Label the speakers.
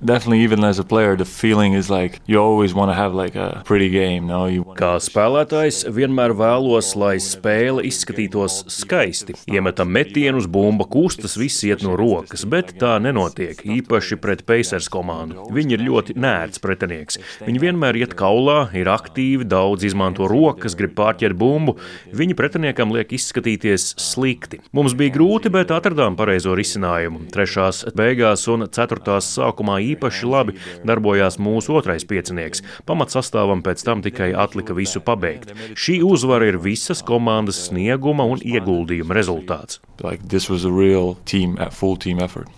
Speaker 1: Definitely, even as a player, the feeling is like you always want to have like a pretty game, no?
Speaker 2: Kā spēlētājs vienmēr vēlos, lai spēle izskatītos skaisti. Iemetam metienus, bumba kustas, viss iet no rokas, bet tā nenotiek, īpaši pret Pacers komandu. Viņi ir ļoti nērts pretinieks. Viņi vienmēr iet kaulā, ir aktīvi, daudz izmanto rokas, grib pārķert bumbu. Viņi pretiniekam liek izskatīties slikti. Mums bija grūti, bet atradām pareizo risinājumu. Trešās beigās un ceturtās sākumā īpaši labi darbojās mūsu otrais piecinieks. Pamatsastāvam pēc tam tikai atlika visu pabeigt. Šī uzvara ir visas komandas snieguma un ieguldījuma rezultāts.
Speaker 1: Like this was a real team, full team effort.